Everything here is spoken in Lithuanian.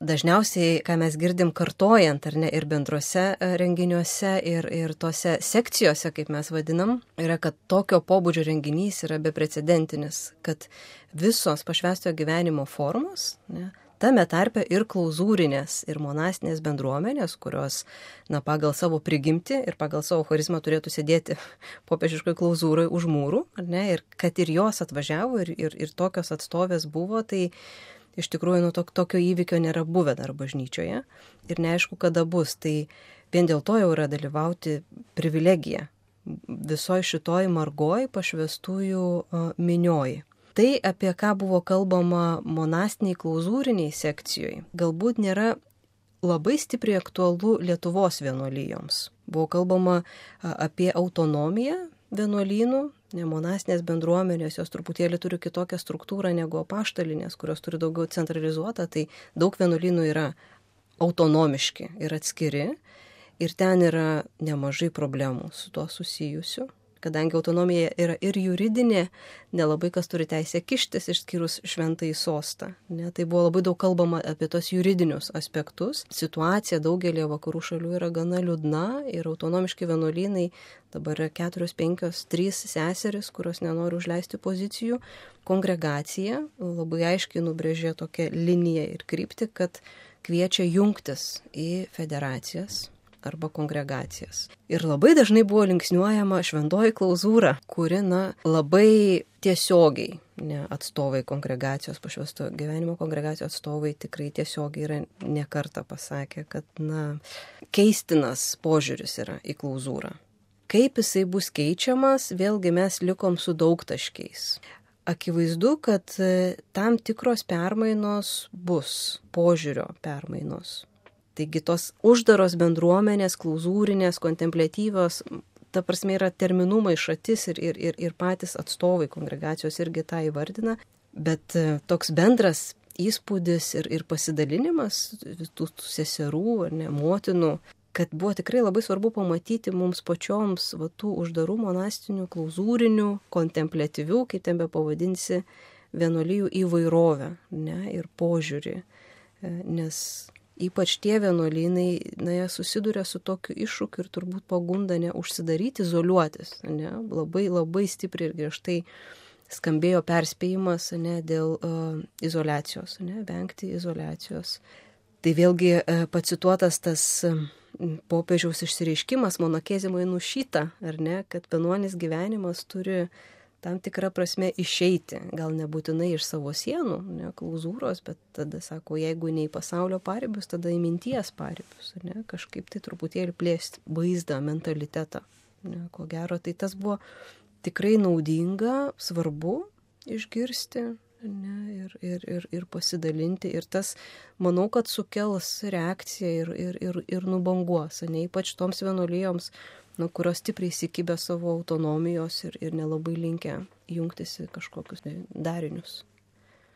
dažniausiai, ką mes girdim kartojant, ar ne, ir bendruose renginiuose, ir tose sekcijose, kaip mes vadinam, yra, kad tokio pobūdžio renginys yra beprecedentinis, kad visos pašvęstojo gyvenimo formos, ne, tame tarpe ir klauzūrinės, ir monastinės bendruomenės, kurios, pagal savo prigimtį ir pagal savo charizmą turėtų sėdėti popiežiškoj klauzūrai už mūrų, ar ne, ir kad ir jos atvažiavo, ir tokios atstovės buvo, tai iš tikrųjų, tokio įvykio nėra buvę dar bažnyčioje ir neaišku, kada bus. Tai vien dėl to jau yra dalyvauti privilegija visoje šitoj margoj pašvęstųjų minioj. Tai, apie ką buvo kalbama monastiniai klauzūriniai sekcijoje, galbūt nėra labai stipriai aktualu Lietuvos vienuolijoms. Buvo kalbama apie autonomiją vienuolynų, monastinės bendruomenės, jos truputėlį turi kitokią struktūrą negu apaštalinės, kurios turi daugiau centralizuotą, tai daug vienuolynų yra autonomiški ir atskiri ir ten yra nemažai problemų su tuo susijusių. Kadangi autonomija yra ir juridinė, nelabai kas turi teisę kištis išskyrus šventąjį sostą. Ne? Tai buvo labai daug kalbama apie tos juridinius aspektus. Situacija daugelį vakarų šalių yra gana liūdna ir autonomiški vienuolynai, dabar yra 4, 5, 3 seseris, kurios nenori užleisti pozicijų. Kongregacija labai aiškiai nubrėžė tokią liniją ir kryptį, kad kviečia jungtis į federacijas arba kongregacijas. Ir labai dažnai buvo linksniuojama šventoji klauzūra, kuri labai tiesiogiai, atstovai kongregacijos, pašvęstojo gyvenimo kongregacijos atstovai tikrai tiesiogiai yra nekartą pasakę, kad keistinas požiūris yra į klauzūrą. Kaip jisai bus keičiamas, vėlgi mes likom su daugtaškiais. Akivaizdu, kad tam tikros permainos bus, požiūrio permainos. Taigi tos uždaros bendruomenės, klauzūrinės, kontempliatyvios, ta prasme yra terminų maišatis ir patys atstovai kongregacijos irgi tą įvardina, bet toks bendras įspūdis ir pasidalinimas tų seserų ar ne, motinų, kad buvo tikrai labai svarbu pamatyti mums pačioms tų uždarų monastinių, klauzūrinių, kontempliatyvių, kaip ten be pavadinsi, vienuolijų įvairovę, ne, ir požiūrį, nes ypač tie vienuolynai, jie susiduria su tokiu iššūkiu ir turbūt pagunda neužsidaryti, izoliuotis. Ne? Labai, labai stipriai ir griežtai skambėjo perspėjimas dėl izoliacijos, vengti izoliacijos. Tai vėlgi pacituotas tas popiežiaus išsireiškimas monachezimui nušyta, ar ne, kad vienuolis gyvenimas turi tam tikrą prasme išeiti, gal nebūtinai iš savo sienų, ne klauzūros, bet tada sako, jeigu ne į pasaulio paribius, tada į minties paribius, ne, kažkaip tai truputėlį plėsti vaizdą, mentalitetą. Ne, ko gero, tai tas buvo tikrai naudinga, svarbu išgirsti, ne, ir pasidalinti. Ir tas, manau, kad sukels reakciją ir nubanguos, ne, ypač toms vienuolijoms, kurios stipriai įsikibę savo autonomijos ir nelabai linkę jungtis į kažkokius darinius.